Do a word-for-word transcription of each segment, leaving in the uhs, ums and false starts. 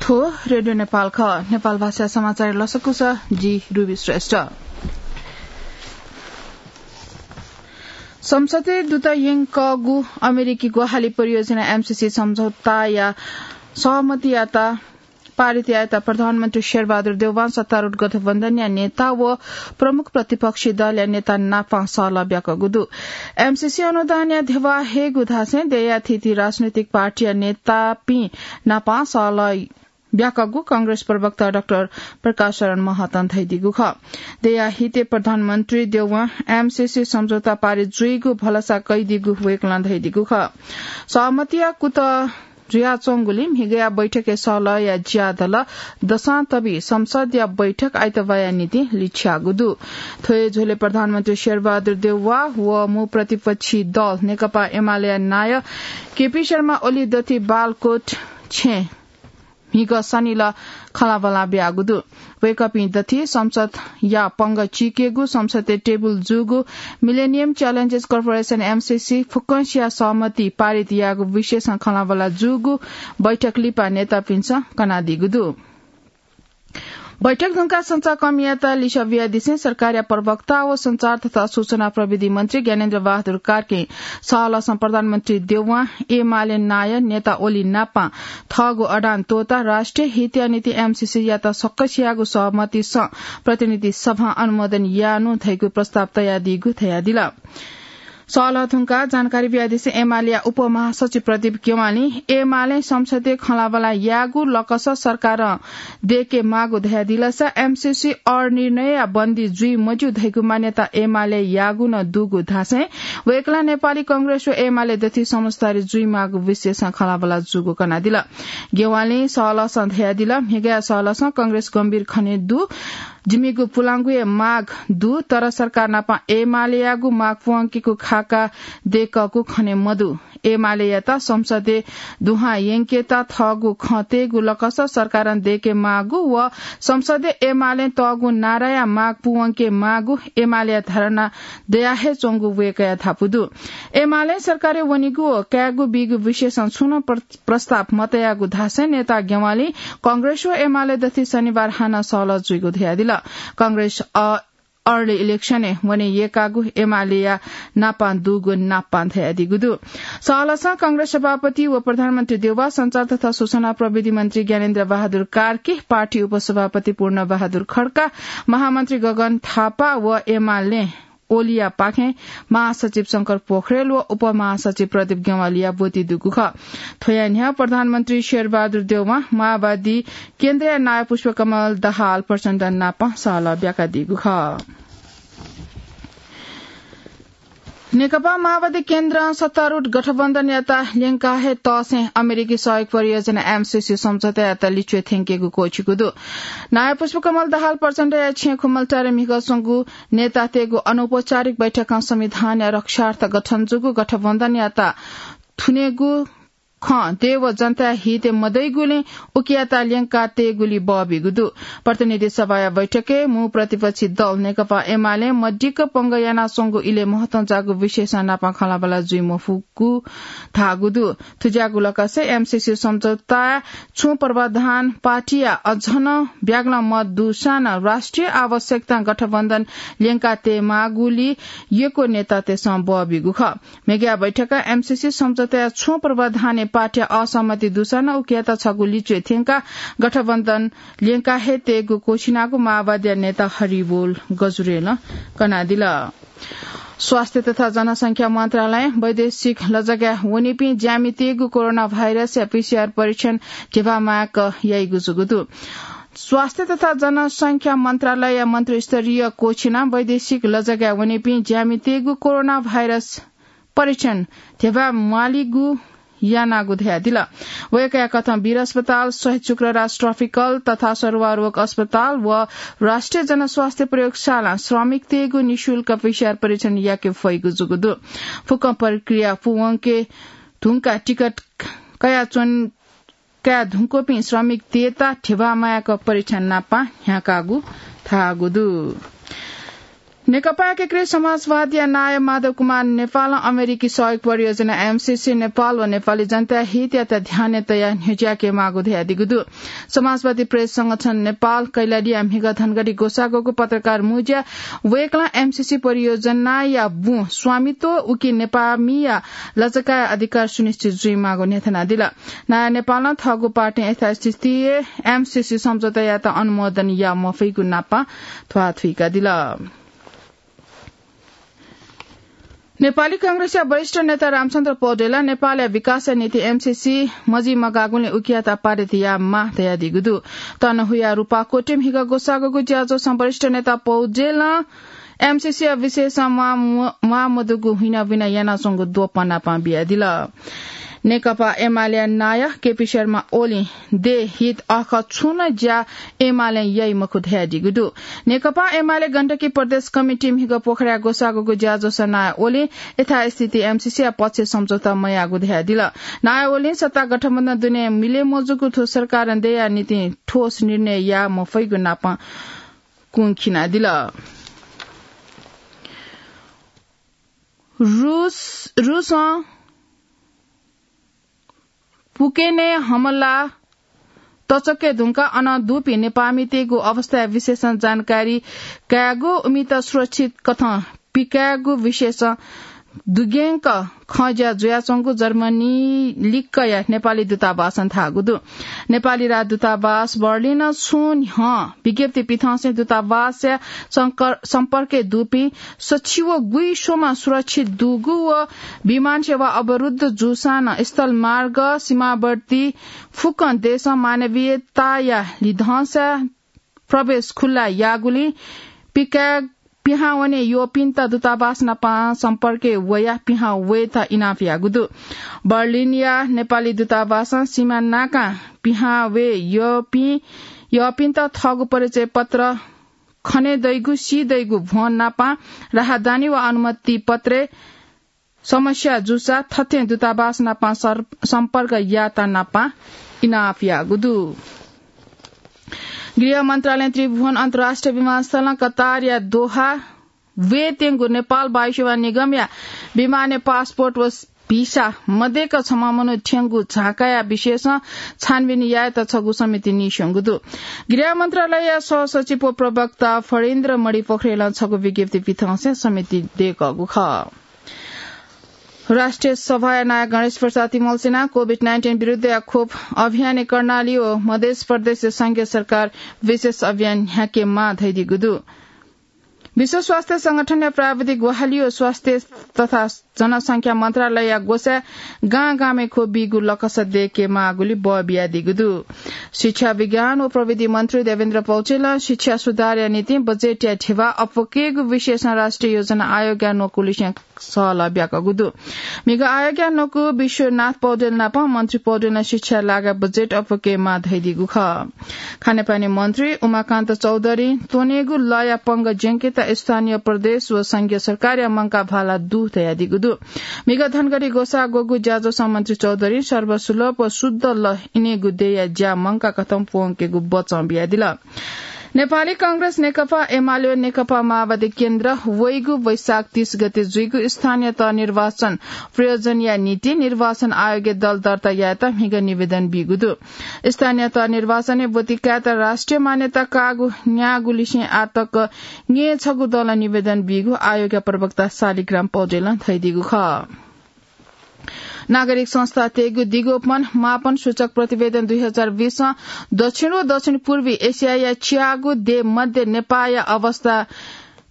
थ्व रेडियो नेपाल खः। नेपाल भाषा समाचार लसकुस, जि रुबी श्रेष्ठ। संसदय् दुत यंकःगु अमेरिकी ग्वाहालि परियोजना एमसीसी सम्झौताया सहमतियात पारित यायेत प्रधानमन्त्री शेरबहादुर देउवां सत्तारूढ गठबन्धनया नेता व प्रमुख प्रतिपक्षी दलया नेता नापं सहलह ब्याकःगु दु। एमसीसी अनुदानया ध्यबा हयेगु धासें देय्‌या थीथी राजनैतिक पार्टीया नेतापिं नापं सहलह ब्याकःगु कांग्रेस प्रवक्ता डाक्टर प्रकाश शरण महतं धयादीगु खः। देय्‌या हितय् प्रधानमन्त्री देउवां एमसीसी सम्झौता पारित जुइगु भलसा कयादीगु वय्‌कलं धयादीगु खः। सहमतिया कुतः जुयाच्वंगुलिं म्हिगःया बैठकय् सहलहया ज्यादल दसां तबी संसदया बैठक आइतबाःया निंतिं लिछ्याःगु दु। थ्व हे झ्वलय् प्रधानमन्त्री शेरबहादुर देउवा व मू प्रतिपक्षी दल नेकपा एमालेया नायः केपी शर्मा ओली दथि बालकोट छेँ म्हिगः सनिल खँल्हाबल्हा ब्याःगु दु। वय्‌कःपिं दथि संसदया पंगः चीकेगु, संसदय् टेबुल जूगु, मिलेनियम च्यालेन्जेस कर्पोरेसन एमसीसी फुक्कंसिया सहमति पारित याःगु विषयसं खँल्हाबल्हा जूगु बैठक लिपा नेतापिन्सं कनादीगु दु। बैठक धुंकाः सञ्चारकर्मीयात लिसः बियादिसें सरकारया प्रवक्ता व सञ्चार तथा सूचना प्रविधि मन्त्री ज्ञानेन्द्र बहादुर कार्कीं सहलहसं प्रधानमन्त्री देउवां एमाले नायः नेता ओली नापं थःगु अडान त्वःताः राष्ट्रिय हितया निंतिं एमसीसीयात सकसियागु सहमतिसं प्रतिनिधि सभां अनुमोदन याःनु धइगु प्रस्ताव तयादीगु धयादिल। सहलह धुंकाः जानकारी बियादिसें एमालेया उपमहासचिव प्रदीप ज्ञवालीं एमालें संसदय् खँल्हाबल्हा याःगु लकस सरकारं दय्‌के माःगु धयादिलसा एमसीसी अनिर्णयया बन्दी जुइ मज्यू धइगु मान्यता एमालेयागु नं दुगु धासें वय्‌कलं नेपाली कांग्रेस व एमाले दथि समझदारी जुइमाःगु विषयसं खँल्हाबल्हा जूगु कनादिल। ज्ञवालीं सहलहसं धयादिल, म्हिगःया सहलहसं कांग्रेस गम्भीर खने दु। जिमिगु पुलांगु हे माग दु, तर सरकार नाप एमालेयागु माग पूवंकेगु खाका दय्‌कःगु खने मदु। एमालेयात संसदय् दुहां यंकेत थःगु खँ तयेगु लकस सरकारं दय्‌के माःगु व संसदय् एमालें तःगु नाराया माग पूवंके माःगु एमालेया धारणा दया हे च्वंगु वय्‌कःया धापू दु। एमालें सरकारय् वनीगु व कायेगु बीगु विषयसं छुं नं प्र-, प्रस्ताव मतयाःगु धासें नेता ज्ञवालीं कांग्रेस व एमाले दथि शनिबार हानं सहलह जुइगु धयादिल। कांग्रेस अ, early election-य् वने यय्‌कागु एमालेया नापं दुगु नापं धयादीगु दु। सहलहसं कांग्रेस सभापति व प्रधानमन्त्री देउवा, सञ्चार तथा सूचना प्रविधि मन्त्री ज्ञानेन्द्र बहादुर कार्की, पार्टी उपसभापति पूर्ण बहादुर खड्का, महामन्त्री गगन थापा व एमाले ओलीया पाखें महासचिव शंकर पोखरेल व उपमहासचिव प्रदीप ज्ञवालीया ब्वति दुगु खः। थ्वया न्ह्यः प्रधानमन्त्री शेरबहादुर देउवां माओवादी केन्द्रया नायः पुष्पकमल दाहाल प्रचण्ड नाप सहलह ब्याकादीगु खः। नेकपा माओवादी केन्द्रं सत्तारूढ गठबन्धनयात ल्यंका हे तःसें अमेरिकी सहयोग परियोजना एमसीसी सम्झौतायात लिच्वय् थ्यंकेगु क्वःछिकू दु। नायः पुष्पकमल दाहाल प्रचण्डया छेँ खुमलटारे म्हिगः स्वंगु नेतातय्‌गु अनौपचारिक बैठकं संविधानया रक्षार्थ गठन जूगु गठबन्धनयात थुनेगु खँ देय् व जनताया हितय् मदइगुलिं उकियात ल्यंका तयेगुली बः बीगु दु। प्रतिनिधि सभाया बैठकय् मू प्रतिपक्षी दल नेकपा एमालें मदिक्क पंगः यानाच्वंगु इलय् महत्वं जाःगु विषयसं नापं खँल्हाबल्हा जुइ मफुगु धाःगु दु। थुज्याःगु लकसय् एमसीसी सम्झौताय् छुं प्रावधान पार्टीया अझ नं ब्यागलं मत दुसां नं राष्ट्रिय आवश्यकतां गठबन्धन ल्यंका तयेमाःगुली यक्व नेतातय्‌सं बः बीगु खः। मेगु बैठकं एमसीसी सम्झौताया छुं प्रावधानय् पार्टीया असहमति दुसां नं उकियात छगू लिच्वय् थ्यंकाः गठबन्धन ल्यंका हे तयेगु क्वःछिनागु माओवादीया नेता हरिबोल गजुरेलं कनादिल। स्वास्थ्य तथा जनसंख्या मन्त्रालयं वैदेशिक लजगाय् वनीपिं ज्यामितय्‌गु कोरोना भाइरसया पीसीआर परीक्षण ध्यबा माय्‌क याइगु जूगु दु। स्वास्थ्य तथा जनसंख्या मन्त्रालयया मन्त्रीस्तरीय क्वःछिनाः वैदेशिक लजगाय् वनीपिं ज्यामितय्‌गु कोरोना भाइरस परीक्षण ध्यबा म्वालीगु यानागु धयादिल। वय्‌कःया कथं वीर अस्पताल, शहीद शुक्रराज ट्रपिकल तथा सरुवा रोग अस्पताल व राष्ट्रिय जनस्वास्थ्य प्रयोगशालां श्रमिकतय्‌गु निशुल्क पीसीआर परीक्षण याके फइगु जूगु दु। फुक्कं प्रक्रिया पूवंके धुंकाः टिकट कयाच्वन, कयाधुंकूपिं श्रमिकतय्‌त ध्यबा माय्‌क परीक्षण नापं न्ह्याकागु धाःगु दु। नेकपा एकीकृत समाजवादीया नायः माधव कुमार नेपालं अमेरिकी सहयोग परियोजना एमसीसी नेपाल व नेपाली जनताया हितयात ध्यानय् तयाः न्ह्यज्याके माःगु धयादीगु दु। समाजवादी प्रेस संगठन नेपाल कैलालीया म्हिगः धनगढी ग्वसाः ग्वःगु पत्रकार मुँज्याय् वय्कलं एमसीसी परियोजनाया बुँ स्वामित्व उकी नेपाःमिया लजगाःया अधिकार सुनिश्चित जुइमाःगु न्ह्यथनादिल। नायः नेपालं थःगु पार्टीं यथास्थितिइ एमसीसी सम्झौतायात अनुमोदन याये मफइगु नापं ध्वाथुइकादिल। नेपाली कांग्रेसया वरिष्ठ नेता रामचन्द्र पौडेलं नेपालया विकासया निंतिं एमसीसी मजिमगाःगुलिं उकियात पारित यायेमाः धयादीगु दु। तनहुँया रूपाकोटय् म्हिगः ग्वसाः ग्वःगु ज्याझ्वलय् वरिष्ठ नेता पौडेलं एमसीसीया विषयय् म्वाः-, म्वाःमदुगु हुइनाबिना यानाच्वंगु द्वपं नापं बियादिल। नेकपा एमालेया नायः केपी शर्मा ओलीं देय् हित अःखः छुं नं ज्या एमालें याइ मखु धयादीगु दु। नेकपा एमाले गण्डकी प्रदेश कमिटीं म्हिगः पोखराय् ग्वसाः ग्वःगु ज्याझ्वलय् नायः ओलीं यथास्थिति एमसीसीया पक्षय् सम्झौता मयाःगु धयादिल। नायः ओलीं सत्ता गठबन्धन दुने मिले मजूगु थ्व सरकारं देय्‌या निंतिं ठोस निर्णय याये मफइगु नापं कुंखिनादिल। रूस, रूसं पुकेनय् हमला तच्वके धुंकाः अन दुपिं नेपाःमितय्‌गु अवस्थाया विषयय् जानकारी कायेगु, उमित सुरक्षित कथं पिकायेगु विषयय् दुग्यंक खँज्या जुयाच्वंगु जर्मनी लिक्कया नेपाली दूतावासं धाःगु दु। नेपाली राजदूतावास बर्लिनं छुं न्ह्यः विज्ञप्ति पिथंसें दूतावासया संकर-, सम्पर्कय् दुपिं सछि व गुइस्वम्ह सुरक्षित दुगु व विमान सेवा अवरुद्ध जूसां नं स्थलमार्ग, सीमावर्ती फुक्कं देशं मानवीयताया लिधंसा प्रवेश खुल्ला याःगुलिं पिकाय् पिहां वने यःपिन्त दूतावास नाप सम्पर्कय् वयाः पिहां वयेत इनाप याःगु दु। बर्लिनया नेपाली दूतावासं सीमा नाकां पिहां वये यःपिं, यःपिन्त थःगु परिचय पत्र, खने दइगु, सी दइगु भ्वं नाप, राहदानी वा अनुमति पत्रय् समस्या जूसा थथे दूतावास नाप सर-, सम्पर्क यायेत नाप इनाप याःगु दु। गृह मन्त्रालयं त्रिभुवन अन्तर्राष्ट्रिय विमानस्थलं कतारया दोहा वयेत्यंगु नेपाल वायुसेवा निगमया विमानय् पासपोर्ट व भिसा मदय्क छम्ह मनू थ्यंगु झाँकाया विषयय् छानबिन यायेत छगू समिति नीस्वंगु दु। गृह मन्त्रालयया सहसचिव व प्रवक्ता फणीन्द्र मणि पोखरेलं छगू विज्ञप्ति पिथंसें समिति दय्कःगु खः। राष्ट्रिय सभाया नायः गणेश प्रसाद इमल्सिनां कोभिड नाइन्टिन विरुद्धया खोप अभियानय् कर्णाली व मधेस प्रदेशय् संघीय सरकार विशेष अभियान न्ह्याकेमाः धयादीगु दु। विश्व स्वास्थ्य संगठनया प्राविधिक ग्वाहालि व स्वास्थ्य तथा जनसंख्या मन्त्रालयया ग्वसाय् गां गामय् खोप बीगु लकस दय्केमाःगुलि बः बियादीगु दु। शिक्षा, विज्ञान व प्रविधि मन्त्री देवेन्द्र पौडेलं शिक्षा सुधारया निंतिं बजेटया ध्यबा अप्वकेगु विषयय् राष्ट्रिय योजना आयोगया न्वकू लिसें सहलह ब्याकूगु दु। म्हिगः आयोगया न्वकू विश्वनाथ पौडेल नाप मन्त्री पौडेलं शिक्षाया लागाय् बजेट अप्वकेमाः धयादीगु खः। खानेपानी मन्त्री उमाकान्त चौधरीं त्वनेगु लःया पंगः ज्यंकेत स्थानीय प्रदेश व संघीय सरकारया मंकाः भाला दु धयादीगु दु। म्हिगः धनगढी ग्वसाः ग्वःगु ज्याझ्वलय् मन्त्री चौधरीं सर्वसुलभ व शुद्ध लः इनेगु देय्या ज्या मंकाः कथं प्वंकेगु बचं बियादिल। नेपाली कांग्रेस, नेकपा एमाले व नेकपा माओवादी केन्द्र वइगु वैशाख तीस गते जुइगु स्थानीय तह निर्वाचन प्रयोजनया निंतिं निर्वाचन आयोगय् दल दर्ता यायेत म्हिगः निवेदन बीगु दु। स्थानीय तह निर्वाचनय् ब्वति कायेत राष्ट्रिय मान्यता काःगु न्यागू लिसें आःतक न्यय् छगू दलं निवेदन बीगु आयोगया प्रवक्ता शालिग्राम पौडेलं धयादीगु खः। नागरिक संस्थातय्गु दिगोपन मापन सूचक प्रतिवेदन दुई हजार बीसं दक्षिण व दक्षिण पूर्वी एसियाया च्यागू देय् मध्ये नेपाःया अवस्था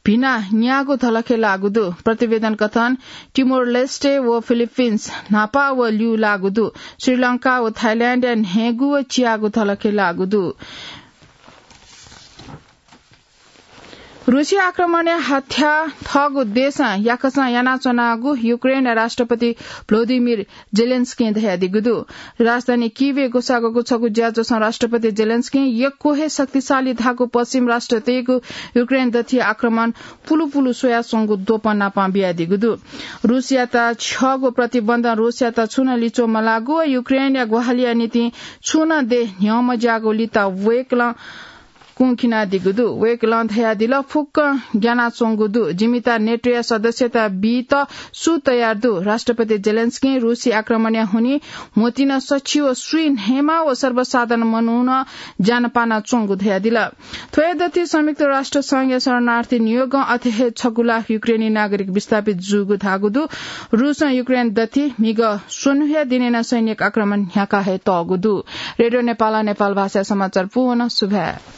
भिनाः न्यागू धलखय् लाःगु दु। प्रतिवेदन कथं टिमोर लेस्टे व फिलिपिन्स न्हापा व ल्यू लाःगु दु। श्रीलंका व थाइल्याण्डया न्हय्गू व च्यागू धलखय् लाःगु दु। रुसी आक्रमणय् हत्या थःगु देशं याकचं यानाच्वनागु युक्रेनया राष्ट्रपति भ्लोदिमिर जेलेन्स्कीं धयादीगु दु। राजधानी किभय् ग्वसाः ग्वःगु छगू ज्याझ्वलय् राष्ट्रपति जेलेन्स्कीं यक्व हे शक्तिशाली धाःगु पश्चिम राष्ट्रतय्गु युक्रेन दथुइ आक्रमण पुलुपुलु स्वयाच्वंगु द्वपं नापं बियादीगु दु। रुसयात छ्यःगु प्रतिबन्धं रुसयात छुं नं लिच्वः मलाःगु व युक्रेनया ग्वाहालिया निंतिं छुं नं देय् न्ह्यः मज्याःगु लिपा वय्कलं कुंखिनादीगु दु। वय्कलं धयादिल, फुक्क ग्यानाच्वंगु दु। जिमित नेटोया सदस्यता बीत सु तयार दु? राष्ट्रपति जेलेन्स्कीं रूसी आक्रमणया हुनिं म्होतिन सछि व स्वीन्हय्मा व सर्वसाधारण मनूनं ज्यान पानाच्वंगु धयादिल। थ्वया दथि संयुक्त राष्ट्र संघया शरणार्थी नियोगं अथे हे छगू लाख युक्रेनी नागरिक विस्थापित जूगु धाःगु दु। रूसं युक्रेन दथि म्हिगः स्वन्हुया दिनय् नं सैनिक आक्रमण न्ह्याका हे तःगु दु। रेडियो नेपालं नेपाल भाषाया समाचार पूवन सुभाय्।